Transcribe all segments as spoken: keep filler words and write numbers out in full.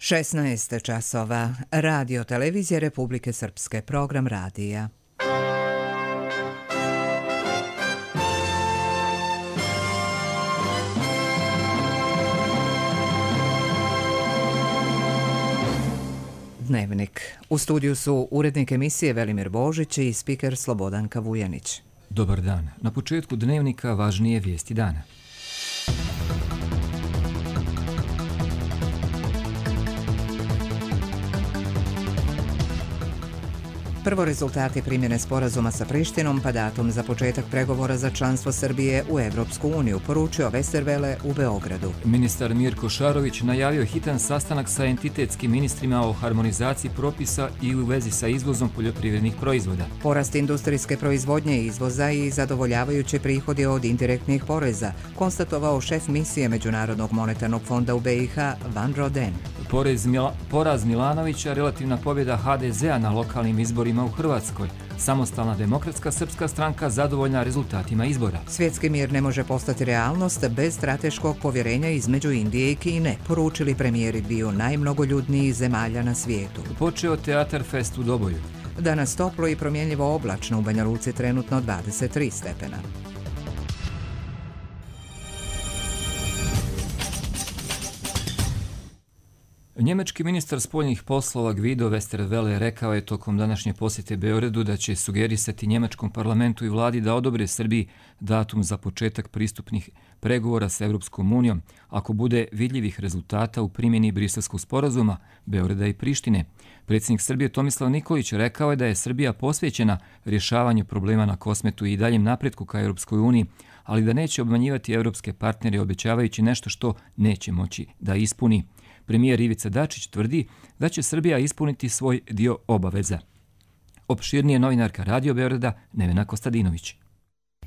šesnaest časova. Radio Televizije Republike Srpske. Program radija. Dnevnik. U studiju su urednik emisije Velimir Božić i spiker Slobodanka Vujanić. Dobar dan. Na početku dnevnika važnije vijesti dana. Prvo rezultati primjene sporazuma sa Prištinom pa datum za početak pregovora za članstvo Srbije u Evropsku uniju, poručio Westerwelle u Beogradu. Ministar Mirko Šarović najavio hitan sastanak sa entitetskim ministrima o harmonizaciji propisa i u vezi sa izvozom poljoprivrednih proizvoda. Porast industrijske proizvodnje i izvoza i zadovoljavajući prihodi od indirektnih poreza, konstatovao šef misije Međunarodnog monetarnog fonda u be i ha Van Roden. Porez Mila, poraz Milanovića, relativna pobjeda ha de zea na lokalnim izborima u Hrvatskoj. Samostalna demokratska srpska stranka zadovoljna rezultatima izbora. Svjetski mir ne može postati realnost bez strateškog povjerenja između Indije i Kine, poručili premijeri dviju najmnogoljudnijih zemalja na svijetu. Počeo Teatar Fest u Doboju. Danas toplo i promjenjivo oblačno, u Banja Luci trenutno dvadeset tri stepena. Njemački ministar spoljnih poslova Guido Westerwelle rekao je tokom današnje posjete Beogradu da će sugerisati njemačkom parlamentu i vladi da odobre Srbiji datum za početak pristupnih pregovora sa Evropskom unijom ako bude vidljivih rezultata u primjeni Briselskog sporazuma Beograda i Prištine. Predsjednik Srbije Tomislav Nikolić rekao je da je Srbija posvećena rješavanju problema na Kosmetu i daljem napretku ka Evropskoj uniji, ali da neće obmanjivati evropske partnere obećavajući nešto što neće moći da ispuni. Premijer Ivica Dačić tvrdi da će Srbija ispuniti svoj dio obaveza. Opširnije novinarka Radio Beograda Nevena Kostadinović.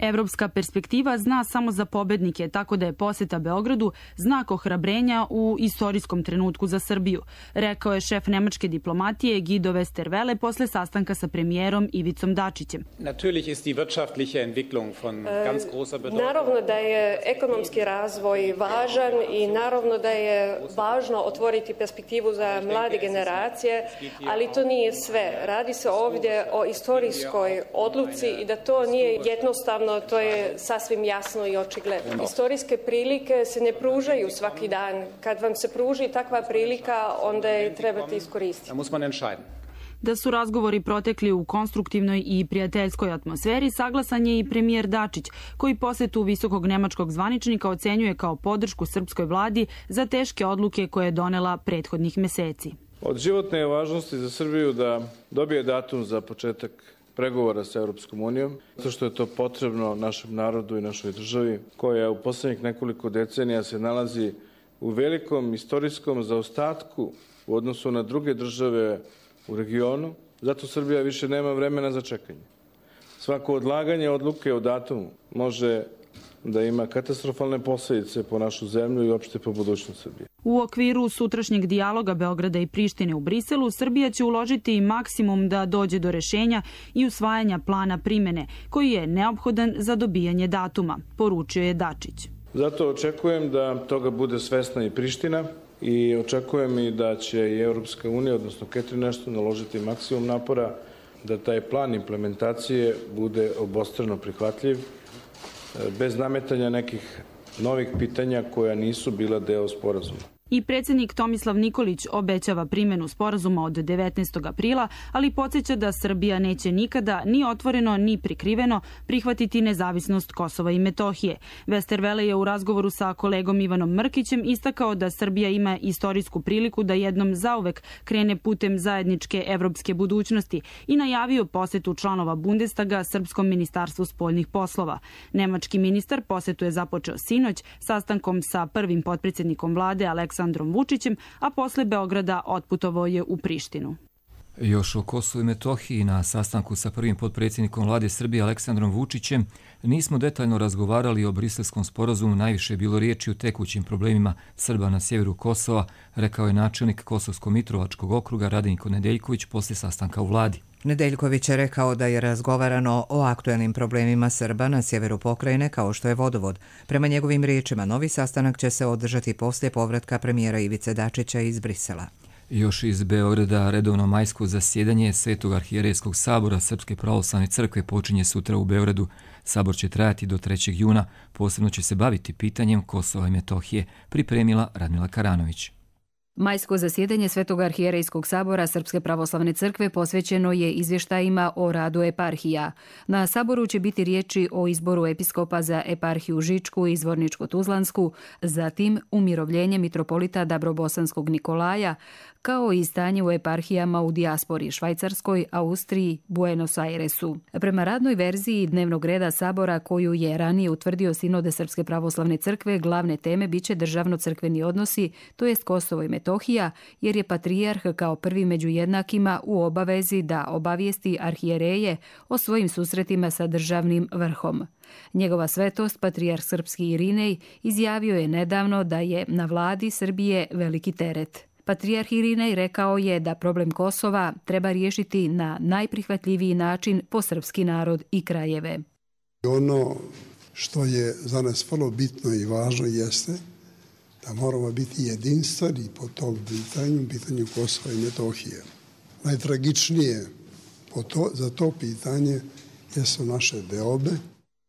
Evropska perspektiva zna samo za pobednike, tako da je posjeta Beogradu znak ohrabrenja u istorijskom trenutku za Srbiju, rekao je šef nemačke diplomatije Guido Westerwelle posle sastanka sa premijerom Ivicom Dačićem. Naravno da je ekonomski razvoj važan i naravno da je važno otvoriti perspektivu za mlade generacije, ali to nije sve. Radi se ovdje o istorijskoj odluci i da to nije jednostavno. To je sasvim jasno i očigledno. Istorijske prilike se ne pružaju svaki dan. Kad vam se pruži takva prilika, onda je trebate iskoristiti. Da su razgovori protekli u konstruktivnoj i prijateljskoj atmosferi, saglasan je i premijer Dačić, koji posjetu visokog nemačkog zvaničnika ocenjuje kao podršku srpskoj vladi za teške odluke koje je donela prethodnih meseci. Od životne je važnosti za Srbiju da dobije datum za početak pregovora sa Evropskom unijom, zato što je to potrebno našem narodu i našoj državi, koja u posljednjih nekoliko decenija se nalazi u velikom istorijskom zaostatku u odnosu na druge države u regionu. Zato Srbija više nema vremena za čekanje. Svako odlaganje odluke o datumu može da ima katastrofalne posljedice po našu zemlju i opšte po budućnost Srbije. U okviru sutrašnjeg dijaloga Beograda i Prištine u Briselu, Srbija će uložiti maksimum da dođe do rešenja i usvajanja plana primjene, koji je neophodan za dobijanje datuma, poručio je Dačić. Zato očekujem da toga bude svesna i Priština i očekujem i da će i Evropska unija, odnosno Catherine Ashton, naložiti maksimum napora da taj plan implementacije bude obostrano prihvatljiv, bez nametanja nekih novih pitanja koja nisu bila deo sporazuma. I predsjednik Tomislav Nikolić obećava primjenu sporazuma od devetnaestog aprila, ali podsjeća da Srbija neće nikada ni otvoreno ni prikriveno prihvatiti nezavisnost Kosova i Metohije. Westerwelle je u razgovoru sa kolegom Ivanom Mrkićem istakao da Srbija ima istorijsku priliku da jednom zauvek krene putem zajedničke evropske budućnosti i najavio posjetu članova Bundestaga Srpskom ministarstvu spoljnih poslova. Nemački ministar posjetu je započeo sinoć sastankom sa prvim potpredsjednikom vlade Aleksandrom Aleksandrom Vučićem, a posle Beograda otputovao je u Prištinu. Još o Kosovu i Metohiji na sastanku sa prvim potpredsjednikom vlade Srbije Aleksandrom Vučićem nismo detaljno razgovarali o Briselskom sporazumu, najviše je bilo riječi o tekućim problemima Srba na sjeveru Kosova, rekao je načelnik Kosovsko-Mitrovačkog okruga Radenko Nedeljković posle sastanka u vladi. Nedeljković je rekao da je razgovarano o aktuelnim problemima Srba na sjeveru pokrajine kao što je vodovod. Prema njegovim riječima, novi sastanak će se održati poslije povratka premijera Ivice Dačića iz Brisela. Još iz Beograda redovno majsko zasjedanje Svetog arhijerejskog sabora Srpske pravoslavne crkve počinje sutra u Beogradu. Sabor će trajati do trećeg juna, posebno će se baviti pitanjem Kosova i Metohije, pripremila Radmila Karanović. Majsko zasjedanje Svetog arhijerejskog sabora Srpske pravoslavne crkve posvećeno je izvještajima o radu eparhija. Na saboru će biti riječi o izboru episkopa za eparhiju Žičku i Zvorničko-Tuzlansku, zatim umirovljenje mitropolita Dabrobosanskog Nikolaja, kao i stanje u eparhijama u dijaspori Švajcarskoj, Austriji, Buenos Airesu. Prema radnoj verziji dnevnog reda sabora koju je ranije utvrdio Sinode Srpske pravoslavne crkve, glavne teme biće državno-crkveni odnosi, to jest Kosovo i Metohija, jer je patrijarh kao prvi među jednakima u obavezi da obavijesti arhijereje o svojim susretima sa državnim vrhom. Njegova svetost, patrijarh srpski Irinej, izjavio je nedavno da je na vladi Srbije veliki teret. Patrijarh Irinej rekao je da problem Kosova treba riješiti na najprihvatljiviji način po srpski narod i krajeve. Ono što je za nas vrlo bitno i važno jeste da moramo biti jedinstveni po tom pitanju, pitanju Kosova i Metohije. Najtragičnije po to, za to pitanje jesu naše deobe.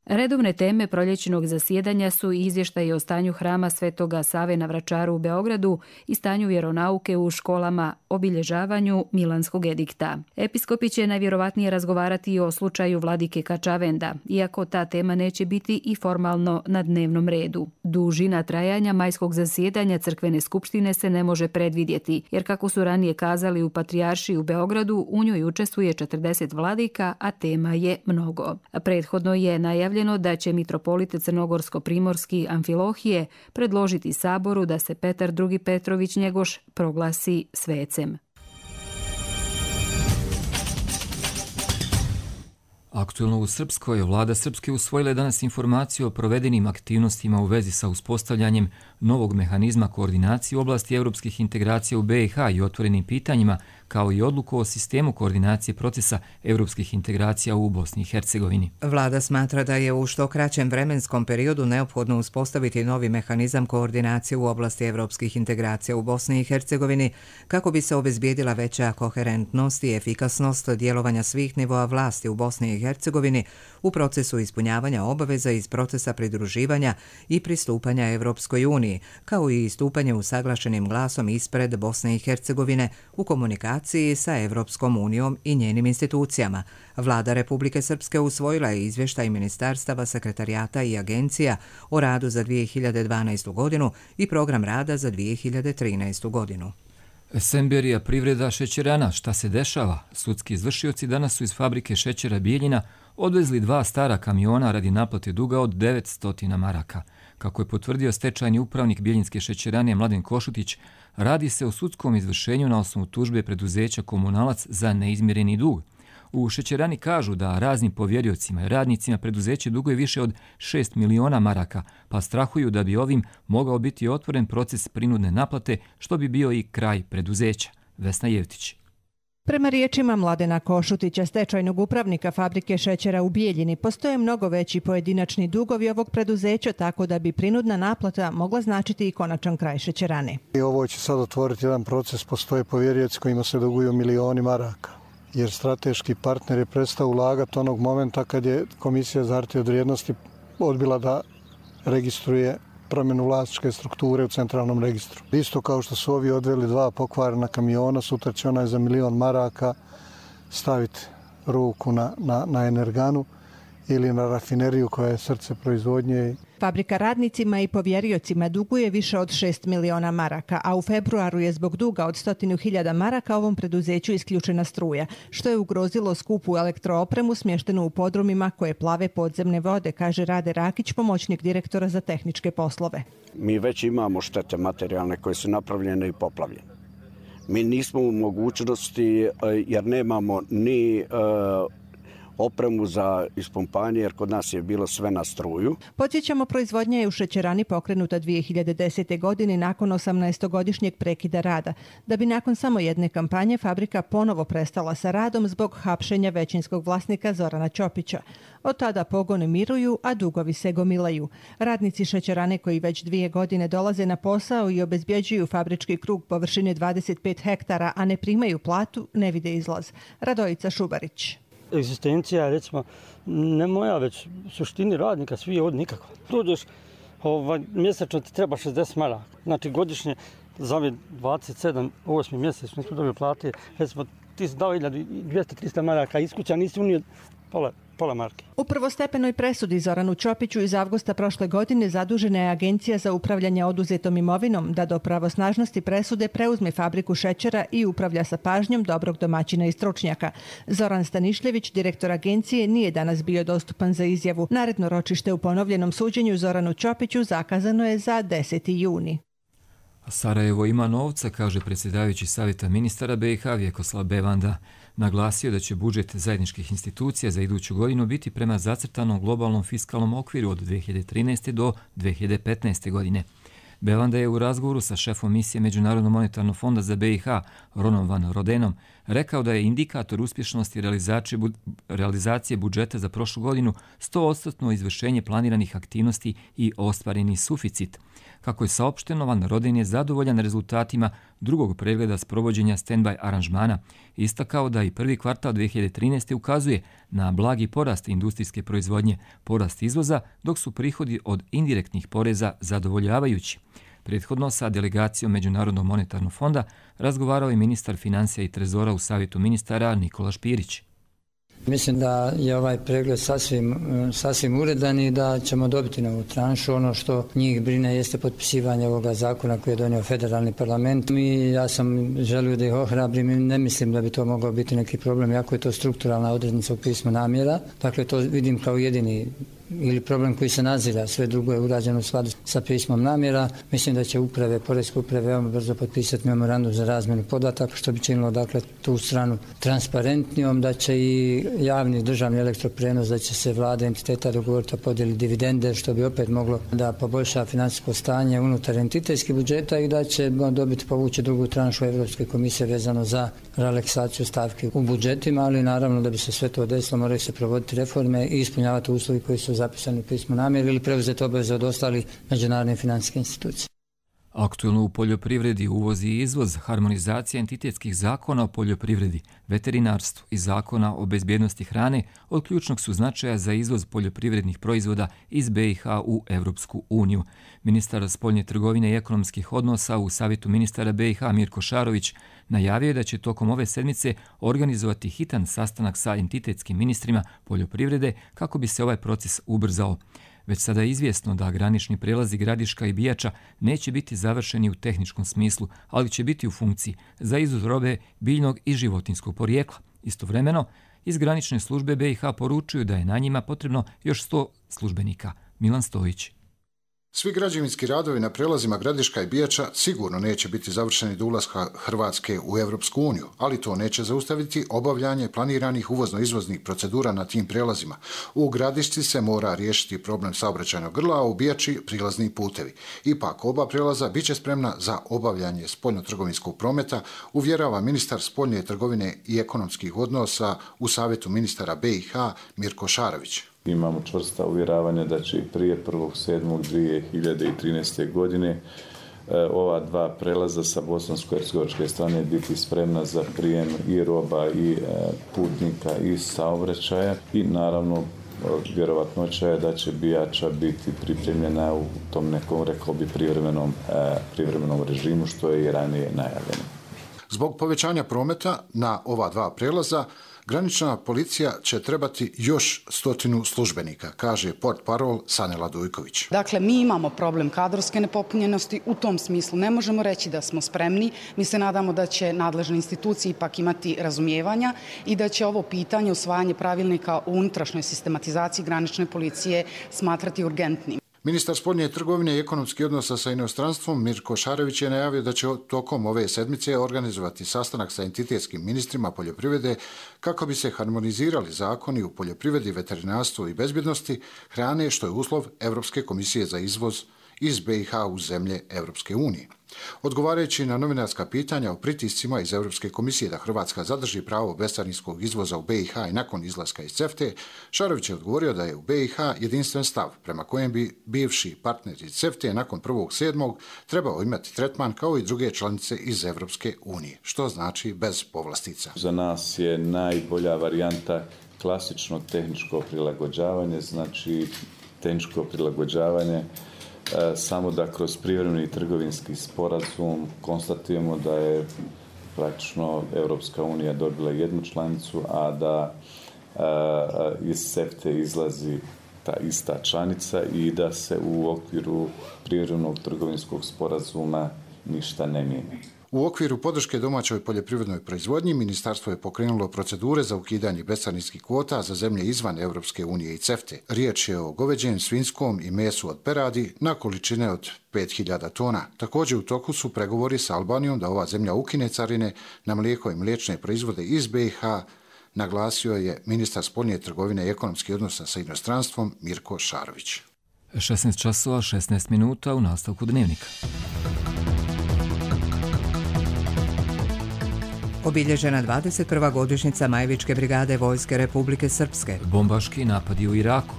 Redovne teme proljećnog zasjedanja su izvještaji o stanju hrama Svetoga Save na Vračaru u Beogradu i stanju vjeronauke u školama, obilježavanju Milanskog edikta. Episkopi će najvjerovatnije razgovarati o slučaju vladike Kačavenda, iako ta tema neće biti i formalno na dnevnom redu. Dužina trajanja majskog zasjedanja crkvene skupštine se ne može predvidjeti, jer kako su ranije kazali u Patrijaršiji u Beogradu, u njoj učestvuje četrdeset vladika, a tema je mnogo. Prethodno je najavljeno da će mitropolit Crnogorsko-Primorski Amfilohije predložiti saboru da se Petar drugi Petrović Njegoš proglasi svecem. Aktuelno u Srpskoj, vlada Srpske usvojila je danas informaciju o provedenim aktivnostima u vezi sa uspostavljanjem novog mehanizma koordinacije u oblasti evropskih integracija u B i H i otvorenim pitanjima, kao i odluku o sistemu koordinacije procesa evropskih integracija u Bosni i Hercegovini. Vlada smatra da je u što kraćem vremenskom periodu neophodno uspostaviti novi mehanizam koordinacije u oblasti evropskih integracija u Bosni i Hercegovini kako bi se obezbijedila veća koherentnost i efikasnost djelovanja svih nivoa vlasti u Bosni i Hercegovini u procesu ispunjavanja obaveza iz procesa pridruživanja i pristupanja Evropskoj uniji, kao i istupanje usaglašenim glasom ispred Bosne i Hercegovine u komunikaciji sa Evropskom unijom i njenim institucijama. Vlada Republike Srpske usvojila je izvještaj ministarstava, sekretarijata i agencija o radu za dvije hiljade dvanaestu godinu i program rada za dvije hiljade trinaestu godinu. Semberija privreda šećerana. Šta se dešava? Sudski izvršioci danas su iz fabrike šećera Bijeljina odvezli dva stara kamiona radi naplate duga od devetsto maraka. Kako je potvrdio stečajni upravnik Bijeljinske šećerane Mladen Košutić, radi se o sudskom izvršenju na osnovu tužbe preduzeća Komunalac za neizmireni dug. U šećerani kažu da raznim povjeriocima i radnicima preduzeće duguje više od šest miliona maraka, pa strahuju da bi ovim mogao biti otvoren proces prinudne naplate, što bi bio i kraj preduzeća. Vesna Jevtić. Prema riječima Mladena Košutića, stečajnog upravnika fabrike šećera u Bijeljini, postoje mnogo veći pojedinačni dugovi ovog preduzeća, tako da bi prinudna naplata mogla značiti i konačan kraj šećerane. I ovo će sad otvoriti jedan proces, postoje povjerioci kojima se duguju milioni maraka, jer strateški partner je prestao ulagati onog momenta kad je Komisija za hartije od vrijednosti odbila da registruje promjenu vlasničke strukture u centralnom registru. Isto kao što su ovi odveli dva pokvarena kamiona, sutra će onaj za milion maraka staviti ruku na, na, na energanu ili na rafineriju koja je srce proizvodnje. Fabrika radnicima i povjeriocima duguje više od šest miliona maraka, a u februaru je zbog duga od stotinu hiljada maraka ovom preduzeću isključena struja, što je ugrozilo skupu elektroopremu smještenu u podrumima koje plave podzemne vode, kaže Rade Rakić, pomoćnik direktora za tehničke poslove. Mi već imamo štete materijalne koje su napravljene i poplavljene. Mi nismo u mogućnosti, jer nemamo ni uh, opremu za ispumpanje, jer kod nas je bilo sve na struju. Podsjećamo, proizvodnja je u šećerani pokrenuta dvije hiljade desete. godine nakon osamnaestogodišnjeg prekida rada, da bi nakon samo jedne kampanje fabrika ponovo prestala sa radom zbog hapšenja većinskog vlasnika Zorana Ćopića. Od tada pogoni miruju, a dugovi se gomilaju. Radnici šećerane koji već dvije godine dolaze na posao i obezbjeđuju fabrički krug površine dvadeset pet hektara, a ne primaju platu, ne vide izlaz. Radojica Šubarić. Egzistencija, recimo, ne moja, već suštini radnika, svi je od nikakva. Dođeš, ovaj, mjesečno ti treba šezdeset maraka. Znači godišnje za ove dvadeset sedam, osmi mjesec, nismo dobili plate, recimo, ti si dao dvjesto do trista maraka, iskuća nisi unio pola, pola marke. U prvostepenoj presudi Zoranu Ćopiću iz avgusta prošle godine zadužena je Agencija za upravljanje oduzetom imovinom da do pravosnažnosti presude preuzme fabriku šećera i upravlja sa pažnjom dobrog domaćina i stručnjaka. Zoran Stanišljević, direktor agencije, nije danas bio dostupan za izjavu. Naredno ročište u ponovljenom suđenju Zoranu Ćopiću zakazano je za deseti juni. Sarajevo ima novca, kaže predsjedavajući savjeta ministara B i H Vjekoslav Bevanda. Naglasio da će budžet zajedničkih institucija za iduću godinu biti prema zacrtanom globalnom fiskalnom okviru od dvije hiljade trinaeste. do dvije hiljade petnaeste. godine. Bevanda je u razgovoru sa šefom misije Međunarodnog monetarnog fonda za B i H, Ronom Van Rodenom, rekao da je indikator uspješnosti realizacije budžeta za prošlu godinu sto posto izvršenje planiranih aktivnosti i ostvareni suficit. Kako je saopšteno, Van Roden je zadovoljan rezultatima drugog pregleda sprovođenja stand-by aranžmana. Istakao da i prvi kvartal dvije hiljade trinaeste. ukazuje na blagi porast industrijske proizvodnje, porast izvoza, dok su prihodi od indirektnih poreza zadovoljavajući. Prethodno sa delegacijom Međunarodnog monetarnog fonda razgovarao je ministar financija i trezora u savjetu ministara Nikola Špirić. Mislim da je ovaj pregled sasvim, sasvim uredan i da ćemo dobiti novu tranšu. Ono što njih brine jeste potpisivanje ovoga zakona koji je donio federalni parlament. Mi, ja sam želio da ih ohrabrim i ne mislim da bi to mogao biti neki problem, jako je to strukturalna odrednica u pismu namjera. Dakle, to vidim kao jedini ili problem koji se nazira, sve drugo je urađeno u skladu sa pismom namjera. Mislim da će uprave, poreske uprave veoma brzo potpisati memorandum za razmjenu podataka, što bi činilo dakle tu stranu transparentnijom, da će i javni državni elektroprenos, da će se vlada entiteta dogovoriti o podjeli dividende, što bi opet moglo da poboljša financijsko stanje unutar entitetskih budžeta i da će dobiti povući drugu tranšu Evropske komisije vezano za relaksaciju stavki u budžetima, ali naravno da bi se sve to desilo moraju se provoditi reforme i ispunjavati uslovi koji su zapisani u pismu namjere ili preuzeti obaveze od ostalih međunarodnih financijskih institucija. Aktuelno u poljoprivredi, uvoz i izvoz, harmonizacija entitetskih zakona o poljoprivredi, veterinarstvu i zakona o bezbjednosti hrane od ključnog su značaja za izvoz poljoprivrednih proizvoda iz B i H u Evropsku uniju. Ministar spoljne trgovine i ekonomskih odnosa u savjetu ministara B i H Mirko Šarović najavio je da će tokom ove sedmice organizovati hitan sastanak sa entitetskim ministrima poljoprivrede kako bi se ovaj proces ubrzao. Već sada je izvjesno da granični prelazi Gradiška i Bijača neće biti završeni u tehničkom smislu, ali će biti u funkciji za izvoz robe biljnog i životinskog porijekla. Istovremeno, iz granične službe B i H poručuju da je na njima potrebno još sto službenika. Milan Stojić. Svi građevinski radovi na prelazima Gradiška i Bijača sigurno neće biti završeni do ulaska Hrvatske u Evropsku uniju, ali to neće zaustaviti obavljanje planiranih uvozno-izvoznih procedura na tim prelazima. U Gradišci se mora riješiti problem saobraćajnog grla, a u Bijači prilazni putevi. Ipak oba prelaza bit će spremna za obavljanje spoljno-trgovinskog prometa, uvjerava ministar spoljne trgovine i ekonomskih odnosa u savjetu ministara B i H Mirko Šarović. Imamo čvrsta uvjeravanja da će i prije prvog sedmog dvije hiljade trinaeste. godine ova dva prelaza sa bosansko-hercegovačke strane biti spremna za prijem i roba i putnika i saobraćaja i naravno vjerovatnoća je da će Bijača biti pripremljena u tom nekom, rekao bi, privremenom, privremenom režimu, što je i ranije najavljeno. Zbog povećanja prometa na ova dva prelaza, granična policija će trebati još stotinu službenika, kaže portparol Sanela Dujković. Dakle, mi imamo problem kadrovske nepopunjenosti, u tom smislu ne možemo reći da smo spremni. Mi se nadamo da će nadležne institucije ipak imati razumijevanja i da će ovo pitanje usvajanje pravilnika o unutrašnjoj sistematizaciji granične policije smatrati urgentnim. Ministar spoljne trgovine i ekonomskih odnosa sa inostranstvom Mirko Šarović je najavio da će tokom ove sedmice organizovati sastanak sa entitetskim ministrima poljoprivrede kako bi se harmonizirali zakoni u poljoprivredi, veterinarstvu i bezbjednosti hrane, što je uslov Evropske komisije za izvoz iz B i H u zemlje Evropske unije. Odgovarajući na novinarska pitanja o pritiscima iz Evropske komisije da Hrvatska zadrži pravo bescarinskog izvoza u B i H i nakon izlaska iz CEFTA, Šarović je odgovorio da je u B i H jedinstven stav prema kojem bi bivši partneri CEFTA nakon prvog sedmog trebao imati tretman kao i druge članice iz Evropske unije, što znači bez povlastica. Za nas je najbolja varijanta klasično tehničko prilagođavanje, znači tehničko prilagođavanje samo da kroz privremeni trgovinski sporazum konstatujemo da je praktično Evropska unija dobila jednu članicu, a da a, iz CEFTA izlazi ta ista članica i da se u okviru privremenog trgovinskog sporazuma ništa ne mijenja. U okviru podrške domaćoj poljoprivrednoj proizvodnji, ministarstvo je pokrenulo procedure za ukidanje bescarinskih kvota za zemlje izvan Evropske unije i CEFTA. Riječ je o goveđem, svinjskom i mesu od peradi na količine od pet hiljada tona. Također u toku su pregovori sa Albanijom da ova zemlja ukine carine na mlijeko i mliječne proizvode iz B i H, naglasio je ministar spoljne trgovine i ekonomskih odnosa sa inostranstvom Mirko Šarović. šesnaest časova šesnaest minuta u nastavku dnevnika. Obilježena dvadeset prva godišnjica Majvičke brigade Vojske Republike Srpske. Bombaški napadi u Iraku.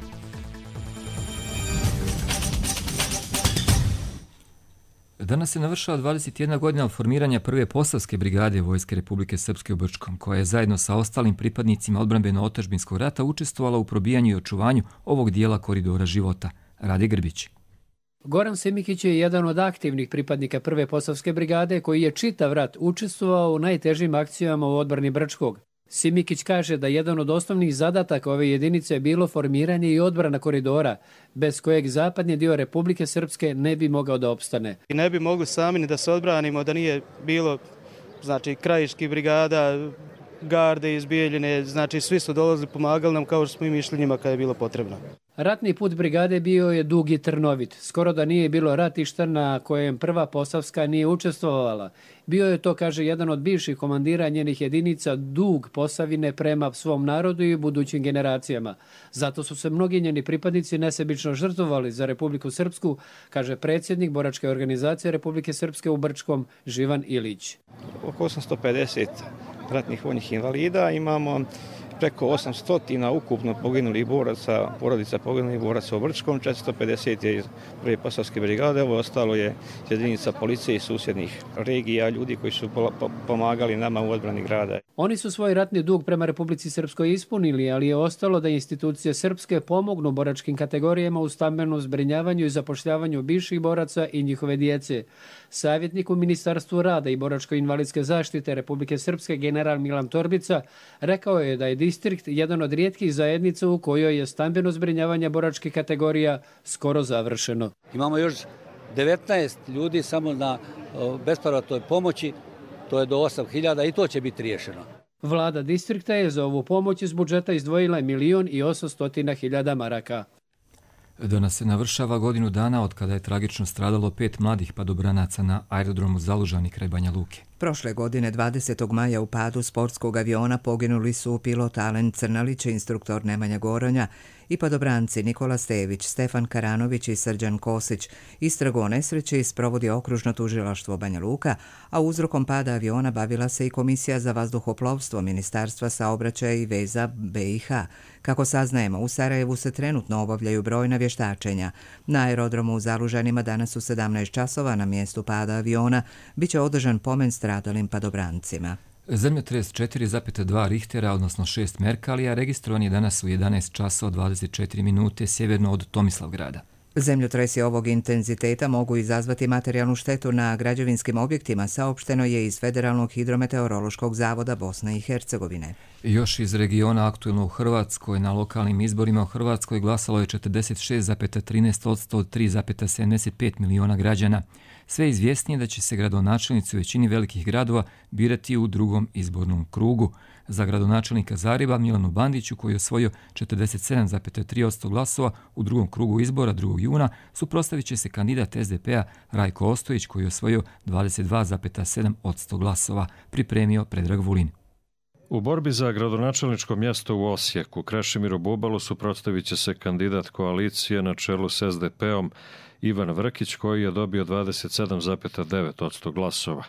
Danas se navršava dvadeset jedna godina od formiranja prve Posavske brigade Vojske Republike Srpske u Brčkom, koja je zajedno sa ostalim pripadnicima odbrambeno-otadžbinskog rata učestvovala u probijanju i očuvanju ovog dijela koridora života. Rade Grbić. Goran Simikić je jedan od aktivnih pripadnika prve Posavske brigade koji je čitav rat učestvovao u najtežim akcijama u odbrani Brčkog. Simikić kaže da jedan od osnovnih zadataka ove jedinice je bilo formiranje i odbrana koridora, bez kojeg zapadni dio Republike Srpske ne bi mogao da opstane. I ne bi mogli sami ni da se odbranimo da nije bilo, znači, krajiških brigada, garde iz Bijeljine, znači svi su dolazili, pomagali nam kao što smo im išli njima kada je bilo potrebno. Ratni put brigade bio je dug i trnovit. Skoro da nije bilo ratišta na kojem prva Posavska nije učestvovala. Bio je to, kaže jedan od bivših komandira njenih jedinica, dug Posavine prema svom narodu i budućim generacijama. Zato su se mnogi njeni pripadnici nesebično žrtvovali za Republiku Srpsku, kaže predsjednik boračke organizacije Republike Srpske u Brčkom Živan Ilić. Oko osamsto pedeset ratnih vojnih invalida, imamo preko osamsto ukupno poginulih boraca, porodica poginulih boraca u Brčkom, četiristo pedeset je iz prve Posavske brigade, ovo ostalo je jedinica policije i susjednih regija, ljudi koji su pomagali nama u odbrani grada. Oni su svoj ratni dug prema Republici Srpskoj ispunili, ali je ostalo da institucije srpske pomognu boračkim kategorijama u stambenom zbrinjavanju i zapošljavanju bivših boraca i njihove djece. Savjetnik u Ministarstvu rada i boračko-invalidske zaštite Republike Srpske general Milan Torbica rekao je da je distrikt jedan od rijetkih zajednica u kojoj je stambeno zbrinjavanje boračkih kategorija skoro završeno. Imamo još devetnaest ljudi samo na bespovratnoj pomoći, to je do osam hiljada i to će biti riješeno. Vlada distrikta je za ovu pomoć iz budžeta izdvojila milion i osamsto hiljada maraka. Danas se navršava godinu dana od kada je tragično stradalo pet mladih padobranaca na aerodromu Zalužani kraj Banja Luke. Prošle godine dvadesetog maja u padu sportskog aviona poginuli su pilot Alen Crnalić, instruktor Nemanja Goronja i padobranci Nikola Stević, Stefan Karanović i Srđan Kosić. Istragu o nesreći sprovodi okružno tužilaštvo Banja Luka, a uzrokom pada aviona bavila se i Komisija za vazduhoplovstvo Ministarstva saobraćaja i veza B i H. Kako saznajemo, u Sarajevu se trenutno obavljaju brojna vještačenja. Na aerodromu u Zalužanima danas u sedamnaest časova na mjestu pada aviona biće održan pomen stradalim padobrancima. Zemljotres četiri zarez dva Richtera, odnosno šest Merkalija, registrovan je danas u jedanaest časova dvadeset četiri minute sjeverno od Tomislavgrada. Zemljotresi ovog intenziteta mogu izazvati materijalnu štetu na građevinskim objektima, saopšteno je iz Federalnog hidrometeorološkog zavoda Bosne i Hercegovine. Još iz regiona aktuelno u Hrvatskoj, na lokalnim izborima u Hrvatskoj glasalo je četrdeset šest zarez trinaest posto od tri zarez sedamdeset pet miliona građana. Sve izvjesnije da će se gradonačelnici u većini velikih gradova birati u drugom izbornom krugu. Za gradonačelnika Zagreba Milanu Bandiću, koji je osvojio četrdeset sedam zarez tri posto glasova u drugom krugu izbora drugog juna, suprotstavit će se kandidat es de pe-a Rajko Ostojić, koji je osvojio dvadeset dva zarez sedam posto glasova, pripremio Predrag Vulin. U borbi za gradonačelničko mjesto u Osijeku Krešimiru Bubalu suprotstavit će se kandidat koalicije na čelu s es de pe-om Ivan Vrkić, koji je dobio dvadeset sedam zarez devet posto glasova.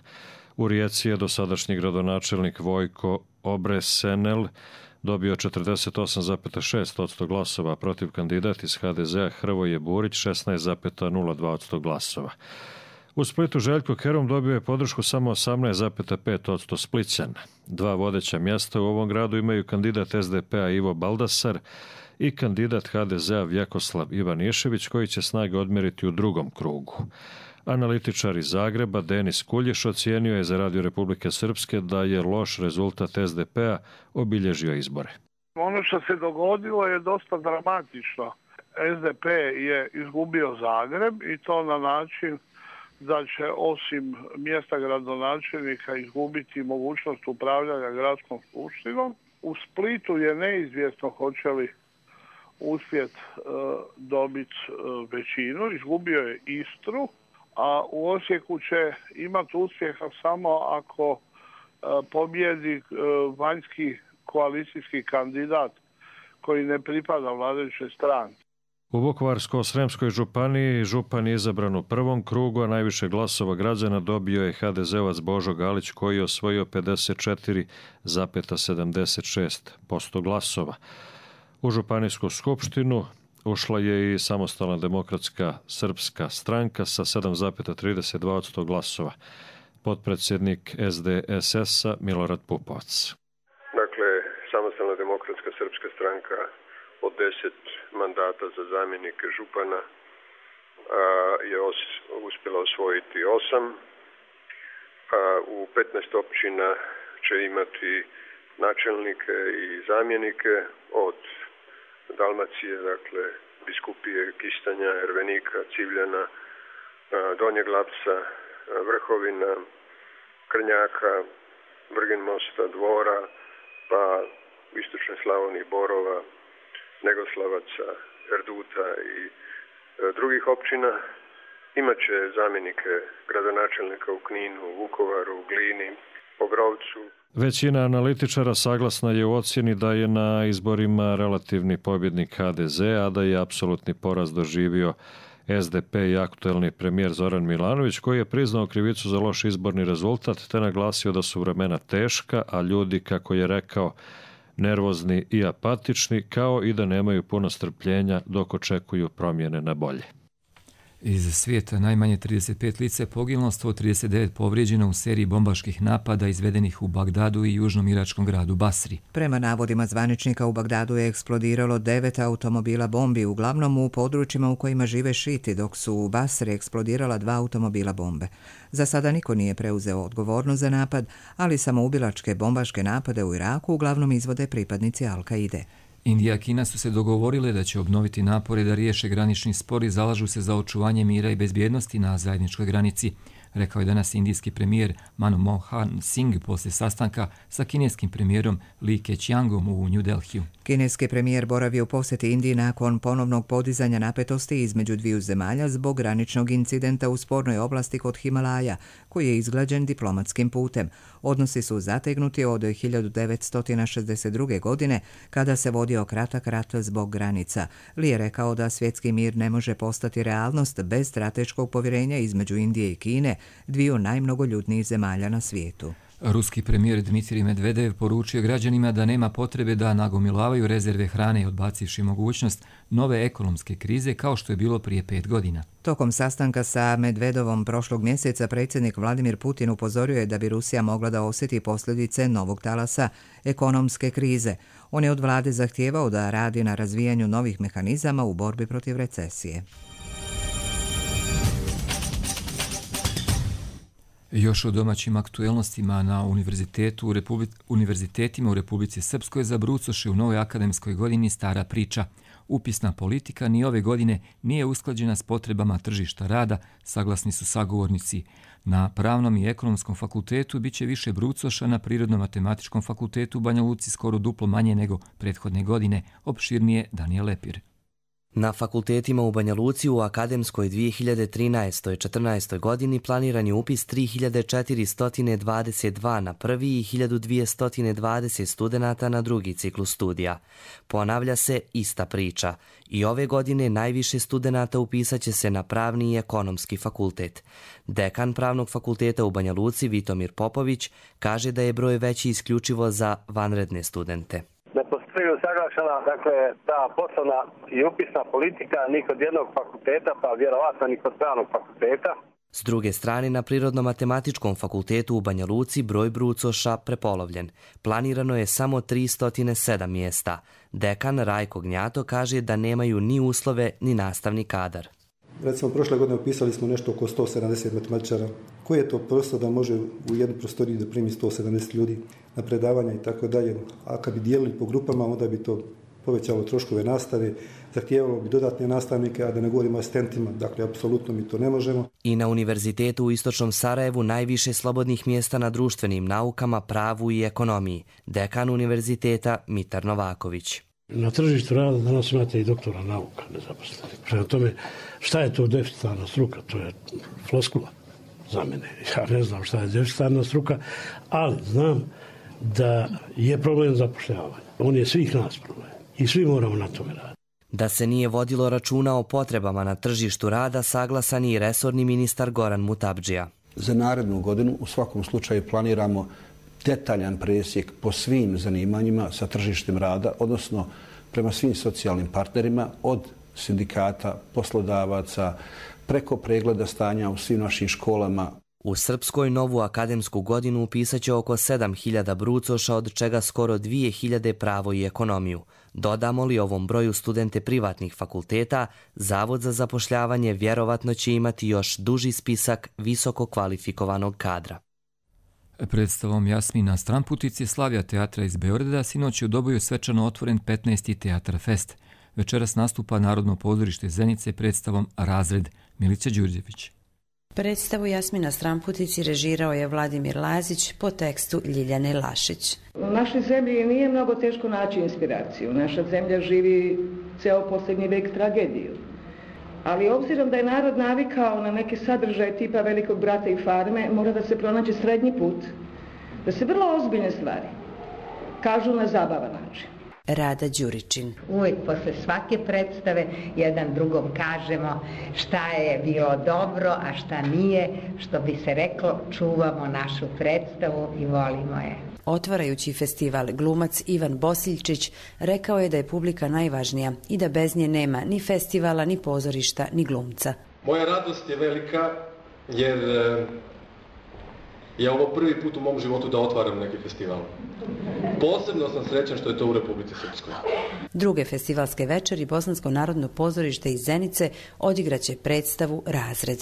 U Rijeci je dosadašnji gradonačelnik Vojko Obresenel dobio četrdeset osam zarez šest posto glasova, protiv kandidat iz ha de ze-a Hrvoje Burić šesnaest zarez nula dva posto glasova. U Splitu Željko Kerum dobio je podršku samo osamnaest zarez pet posto Splićana. Dva vodeća mjesta u ovom gradu imaju kandidat es de pe-a Ivo Baldasar i kandidat ha de ze-a Vjekoslav Ivanišević, koji će snage odmjeriti u drugom krugu. Analitičar iz Zagreba Denis Kuljiš ocijenio je za Radio Republike Srpske da je loš rezultat es de pe-a obilježio izbore. Ono što se dogodilo je dosta dramatično. es de pe je izgubio Zagreb i to na način da će osim mjesta gradonačelnika izgubiti mogućnost upravljanja gradskom skupštinom. U Splitu je neizvjesno hoće li uspjeti uh, dobiti uh, većinu. Izgubio je Istru, a u Osijeku će imati uspjeha samo ako uh, pobjedi uh, vanjski koalicijski kandidat koji ne pripada vladajućoj stranci. U Vukovarsko-sremskoj županiji župan je izabran u prvom krugu, a najviše glasova građana dobio je ha de ze-ovac Božo Galić, koji je osvojio pedeset četiri zarez sedamdeset šest posto glasova. U županijsku skupštinu ušla je i Samostalna demokratska srpska stranka sa sedam zarez trideset dva posto glasova. Potpredsjednik es de es es-a Milorad Pupovac. Dakle, Samostalna demokratska srpska stranka od deset mandata za zamjenike župana a, je os, uspjela osvojiti osam. A, u petnaest općina će imati načelnike i zamjenike od Dalmacije, dakle Biskupije, Kistanja, Ervenika, Civljana, a, Donjeg Lapca, a, Vrhovina, Krnjaka, Vrginmosta, Dvora, pa u istočnoj Slavoniji Borova, Negoslavaca, Erduta i e, drugih općina. Imaće zamjenike gradonačelnika u Kninu, u Vukovaru, u Glini, Obrovcu. Većina analitičara saglasna je u ocjeni da je na izborima relativni pobjednik ha de ze, a da je apsolutni poraz doživio es de pe i aktuelni premijer Zoran Milanović, koji je priznao krivicu za loš izborni rezultat te naglasio da su vremena teška, a ljudi, kako je rekao, nervozni i apatični, kao i da nemaju puno strpljenja dok očekuju promjene na bolje. Iz svijeta najmanje trideset pet lica je poginulo, sto trideset devet povrijeđeno u seriji bombaških napada izvedenih u Bagdadu i južnom iračkom gradu Basri. Prema navodima zvaničnika, u Bagdadu je eksplodiralo devet automobila bombi, uglavnom u područjima u kojima žive šiti, dok su u Basri eksplodirala dva automobila bombe. Za sada niko nije preuzeo odgovornost za napad, ali samoubilačke bombaške napade u Iraku uglavnom izvode pripadnici Al-Kaide. Indija i Kina su se dogovorile da će obnoviti napore da riješe granični spor i zalažu se za očuvanje mira i bezbjednosti na zajedničkoj granici, rekao je danas indijski premijer Manmohan Singh poslije sastanka sa kineskim premijerom Li Keqiangom u New Delhiju. Kineski premijer boravi u posjeti Indiji nakon ponovnog podizanja napetosti između dviju zemalja zbog graničnog incidenta u spornoj oblasti kod Himalaja, koji je izglađen diplomatskim putem. Odnosi su zategnuti od hiljadu devetsto šezdeset druge. godine, kada se vodio kratak rat zbog granica. Li je rekao da svjetski mir ne može postati realnost bez strateškog povjerenja između Indije i Kine, dviju najmnogoljudnijih zemalja na svijetu. Ruski premijer Dmitrij Medvedev poručio građanima da nema potrebe da nagomilavaju rezerve hrane i odbacivši mogućnost nove ekonomske krize kao što je bilo prije pet godina. Tokom sastanka sa Medvedovom prošlog mjeseca predsjednik Vladimir Putin upozorio je da bi Rusija mogla da osjeti posljedice novog talasa ekonomske krize. On je od vlade zahtijevao da radi na razvijanju novih mehanizama u borbi protiv recesije. Još o domaćim aktuelnostima na univerzitetu u Republi... univerzitetima u Republici Srpskoj zabrucoše u novoj akademskoj godini stara priča. Upisna politika ni ove godine nije usklađena s potrebama tržišta rada, saglasni su sagovornici. Na Pravnom i Ekonomskom fakultetu bit će više brucoša, na Prirodno-matematičkom fakultetu u Banja Luci skoro duplo manje nego prethodne godine, opširnije Danijel Lepir. Na fakultetima u Banja Luci u akademskoj dvije hiljade trinaestoj četrnaestoj godini planiran je upis tri hiljade četiristo dvadeset dva na prvi i hiljadu dvjesto dvadeset studenata na drugi ciklus studija. Ponavlja se ista priča. I ove godine najviše studenata upisat će se na Pravni i Ekonomski fakultet. Dekan Pravnog fakulteta u Banja Luci, Vitomir Popović, kaže da je broj veći isključivo za vanredne studente. Ne postoji usaglašena, dakle, ta poslovna i upisna politika ni kod jednog fakulteta, pa vjerovatno ni kod Pravnog fakulteta. S druge strane, na Prirodno-matematičkom fakultetu u Banja Luci broj brucoša prepolovljen. Planirano je samo tristo sedam mjesta. Dekan Rajko Gnjato kaže da nemaju ni uslove ni nastavni kadar. Recimo, prošle godine upisali smo nešto oko sto sedamdeset matematičara. Koji je to prostor da može u jednu prostoriju da primi sto sedamdeset ljudi na predavanja i tako dalje? A kad bi dijelili po grupama, onda bi to povećalo troškove nastave, zahtijevalo bi dodatne nastavnike, a da ne govorimo o asistentima. Dakle, apsolutno mi to ne možemo. I na Univerzitetu u Istočnom Sarajevu najviše slobodnih mjesta na društvenim naukama, pravu i ekonomiji. Dekan univerziteta Mitar Novaković. Na tržištu rada danas imate i doktora nauka nezaposlenih. Prema tome, šta je to deficitarna struka? To je floskula za mene. Ja ne znam šta je deficitarna struka, ali znam da je problem zapošljavanja. On je svih nas problem i svi moramo na tome raditi. Da se nije vodilo računa o potrebama na tržištu rada, saglasan je i resorni ministar Goran Mutabdžija. Za narednu godinu u svakom slučaju planiramo detaljan presjek po svim zanimanjima sa tržištem rada, odnosno prema svim socijalnim partnerima, od sindikata, poslodavaca, preko pregleda stanja u svim našim školama. U Srpskoj novu akademsku godinu upisat će oko sedam hiljada brucoša, od čega skoro dvije hiljade pravo i ekonomiju. Dodamo li ovom broju studente privatnih fakulteta, Zavod za zapošljavanje vjerovatno će imati još duži spisak visoko kvalifikovanog kadra. Predstavom Jasmina Stramputici Slavija teatra iz Beograda sinoć je u Doboju svečano otvoren petnaesti Teatar Fest. Večeras nastupa Narodno pozorište Zenice predstavom Razred. Milica Đurđević. Predstavu Jasmina Stramputici režirao je Vladimir Lazić po tekstu Ljiljane Lašić. U našoj zemlji nije mnogo teško naći inspiraciju. Naša zemlja živi ceo posljednji vek tragediju. Ali obzirom da je narod navikao na neke sadržaje tipa Velikog brata i Farme, mora da se pronađe srednji put, da se vrlo ozbiljne stvari kažu na zabavan način. Rada Đuričin. Uvijek posle svake predstave jedan drugom kažemo šta je bilo dobro, a šta nije, što bi se reklo, čuvamo našu predstavu i volimo je. Otvarajući festival, glumac Ivan Bosiljčić rekao je da je publika najvažnija i da bez nje nema ni festivala, ni pozorišta, ni glumca. Moja radost je velika jer je ovo prvi put u mom životu da otvaram neki festival. Posebno sam srećan što je to u Republici Srpskoj. Druge festivalske večeri Bosansko narodno pozorište iz Zenice odigraće predstavu Razred.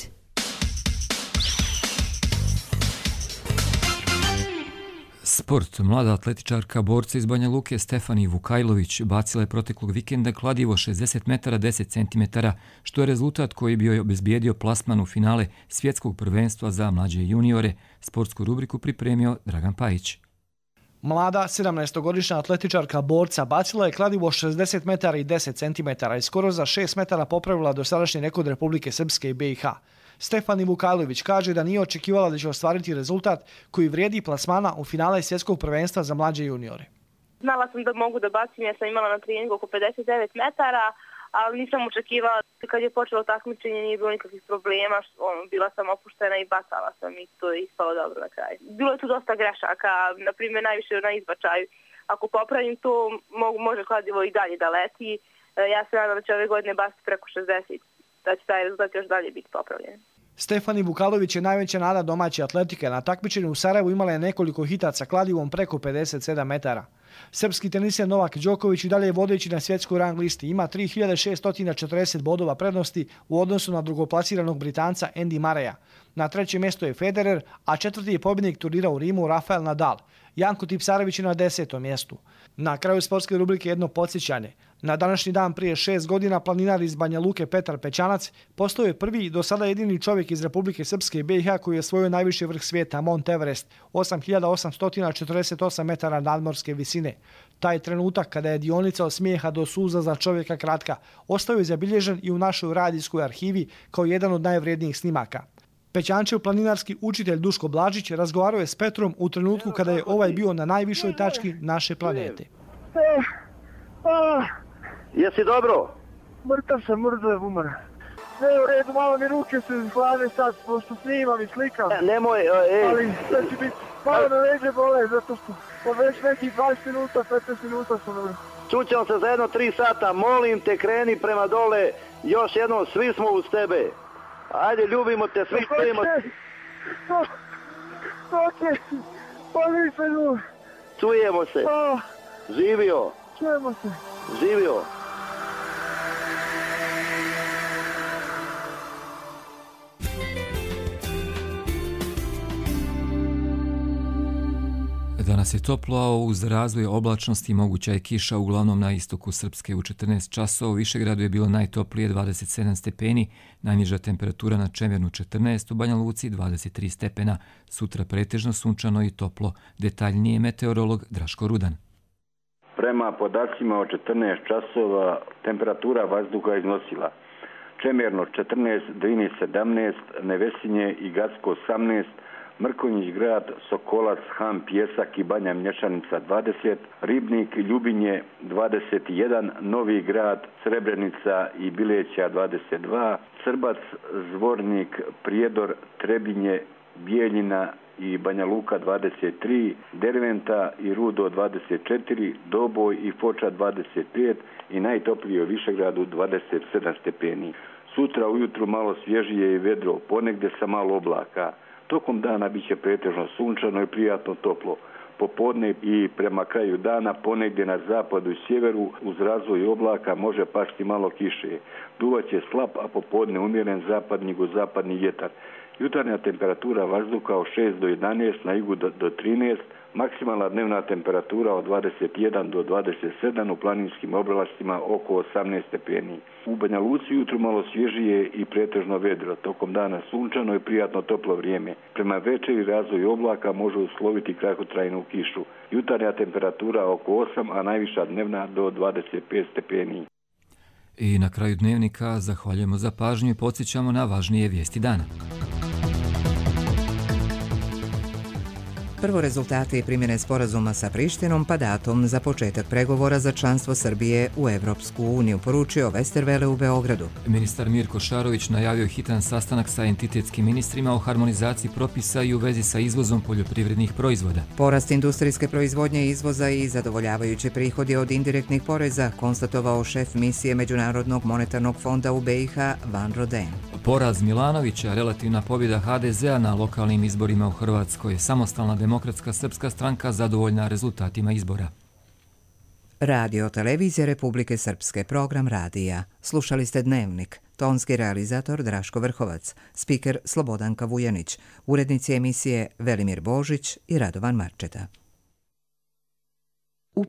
Sport. Mlada atletičarka borca iz Banja Luke Stefani Vukajlović bacila je proteklog vikenda kladivo šezdeset metara deset centimetara, što je rezultat koji bi joj obezbijedio plasman u finale svjetskog prvenstva za mlađe juniore. Sportsku rubriku pripremio Dragan Pajić. Mlada sedamnaestogodišnja atletičarka borca bacila je kladivo šezdeset metara i deset centimetara i skoro za šest metara popravila dosadašnji rekord Republike Srpske i be i ha. Stefani Vukajlović kaže da nije očekivala da će ostvariti rezultat koji vrijedi plasmana u finale svjetskog prvenstva za mlađe juniore. Znala sam da mogu da bacim, ja sam imala na treningu oko pedeset devet metara, ali nisam očekivala. Kad je počelo takmičenje nije bilo nikakvih problema, bila sam opuštena i bacala sam i to je ispalo dobro na kraju. Bilo je tu dosta grešaka, na primjer najviše na izbačaju. Ako popravim to, može kladivo i dalje da leti. Ja se nadam da će ove godine baciti preko šezdeset, da će taj rezultat još dalje biti popravljen. Stefani Vukajlović je najveća nada domaće atletike. Na takmičenju u Sarajevu imala je nekoliko hitaca kladivom preko pedeset sedam metara. Srpski teniser Novak Đoković i dalje je vodeći na svjetskoj rang listi. Ima tri hiljade šesto četrdeset bodova prednosti u odnosu na drugoplasiranog Britanca Andy Murraya. Na trećem mjestu je Federer, a četvrti je pobjednik turnira u Rimu Rafael Nadal. Janko Tipsarević je na desetom mjestu. Na kraju sportske rubrike jedno podsjećanje. Na današnji dan prije šest godina planinar iz Banja Luke Petar Pećanac postao je prvi i do sada jedini čovjek iz Republike Srpske i B i H koji je osvojio najviši vrh svijeta, Mont Everest, osam hiljada osamsto četrdeset osam metara nadmorske visine. Taj trenutak kada je dionica od smijeha do suza za čovjeka kratka, ostao je zabilježen i u našoj radijskoj arhivi kao jedan od najvrijednijih snimaka. Pećančev planinarski učitelj Duško Blažić razgovarao je s Petrom u trenutku kada je ovaj bio na najvišoj tački naše planete. Jesi dobro? Mrtav sam, mrtav umar. Ne, u redu, malo mi ruke se hlade sad, pošto snimam i slikam. Nemoj, ej. Ali sve će biti, malo na leđe bole, zato što po već nekih dvadeset minuta, petnaest minuta sam dobro. Čućemo se za jedno tri sata, molim te, kreni prema dole, još jednom, svi smo uz tebe. Ajde, ljubimo te, svi stojimo. Ok, pa nisam ljub. Čujemo se. Živio. Čujemo se. Živio. Danas je toplo, a uz razvoj oblačnosti moguća je kiša uglavnom na istoku Srpske. U četrnaest časova u Višegradu je bilo najtoplije dvadeset sedam stepeni, najniža temperatura na Čemernu četrnaest, u Banja Luci dvadeset tri stepena. Sutra pretežno sunčano i toplo. Detaljnije meteorolog Draško Rudan. Prema podacima od četrnaest časova temperatura vazduha iznosila Čemerno četrnaest, Drini sedamnaest, Nevesinje i Gacko osamnaest, Mrkonjić grad, Sokolac, Han, Pjesak i Banja Mlječanica dvadeset, Ribnik, Ljubinje dvadeset jedan, Novi grad, Srebrenica i Bileća dvadeset dva, Srbac, Zvornik, Prijedor, Trebinje, Bijeljina i Banja Luka dvadeset tri, Derventa i Rudo dvadeset četiri, Doboj i Foča dvadeset pet i najtoplije u Višegradu dvadeset sedam stepeni. Sutra ujutru malo svježije i vedro, ponegde sa malo oblaka. Tokom dana bit će pretežno sunčano i prijatno toplo. Popodne i prema kraju dana ponegdje na zapadu i sjeveru uz razvoj oblaka može pasti malo kiše. Duvaće slab, a popodne umjeren zapadni jugozapadni vjetar. Jutarnja temperatura vazduha od šest do jedanaest, na jugu do, do trinaest, maksimalna dnevna temperatura od dvadeset jedan do dvadeset sedam, u planinskim oblastima oko osamnaest stepeni. U Banja Luci jutro malo svježije i pretežno vedro, tokom dana sunčano i prijatno toplo vrijeme. Prema večeri razvoj oblaka može usloviti kratkotrajnu kišu. Jutarnja temperatura oko osam, a najviša dnevna do dvadeset pet stepeni. I na kraju dnevnika zahvaljujemo za pažnju i podsjećamo na važnije vijesti dana. Prvo rezultati primjene sporazuma sa Prištinom pa datum za početak pregovora za članstvo Srbije u Evropsku uniju, poručio Westerwelle u Beogradu. Ministar Mirko Šarović najavio hitan sastanak sa entitetskim ministrima o harmonizaciji propisa i u vezi sa izvozom poljoprivrednih proizvoda. Porast industrijske proizvodnje, izvoza i zadovoljavajući prihodi od indirektnih poreza konstatovao šef misije Međunarodnog monetarnog fonda u B i H Van Roden. Poraz Milanovića, relativna pobjeda H D Z-a na lokalnim izborima u Hrvatskoj, samostalna Demokratska srpska stranka zadovoljna rezultatima izbora. Radio televizije Republike Srpske, program radija. Slušali ste Dnevnik, tonski realizator Draško Vrhovac, spiker Slobodanka Vujanić, urednici emisije Velimir Božić i Radovan Marčeta.